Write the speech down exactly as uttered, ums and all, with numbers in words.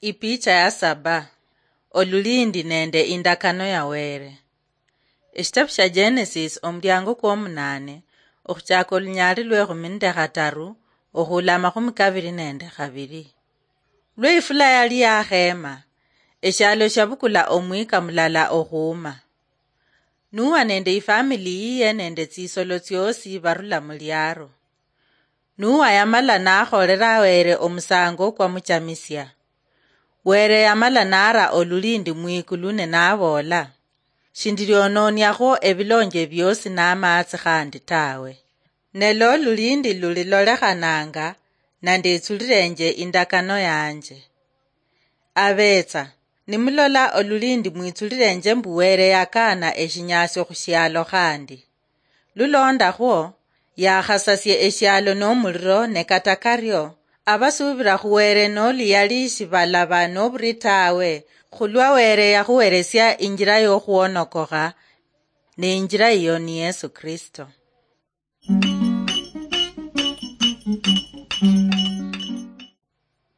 Ipicha ya saba. Olulindi nende indakano ya Were. Eshitabu sha Genesis, omulyango kwomunane, okhuchaka olunyaali lwekhumi nende khataru, okhuula amakhumi kabiri nende khabiri. Lwe ifula yali yakhema, eshialo shabukula omwika mulala okhuuma. Nuwa nende ifamili yiye nende tsisolo tsiosi barula muliaro. Nuwa yamala nakholera Were omusango kwamuchamisia. Were yamala nara olulindi mwikulu ne naboola, "Shindiriononiakhwo ebilonje biosi namatsi khandi tawe. Ne lo lulindi lulilolekhananga, nandetsulirenje indakano yanje." Abetsa, nimulola olulindi mwitsulirenje mbu Were yakana eshinyasio khushialo khandi. Lulondakhwo, yakhasasie eshialo nomuliro, ne kata kario, abasuubira khu Were noli yali shibalaba noburi tawe, khulwa Were yakhuweresia injira yokhwonokokha, ne injira iyo ni Yesu Kristo.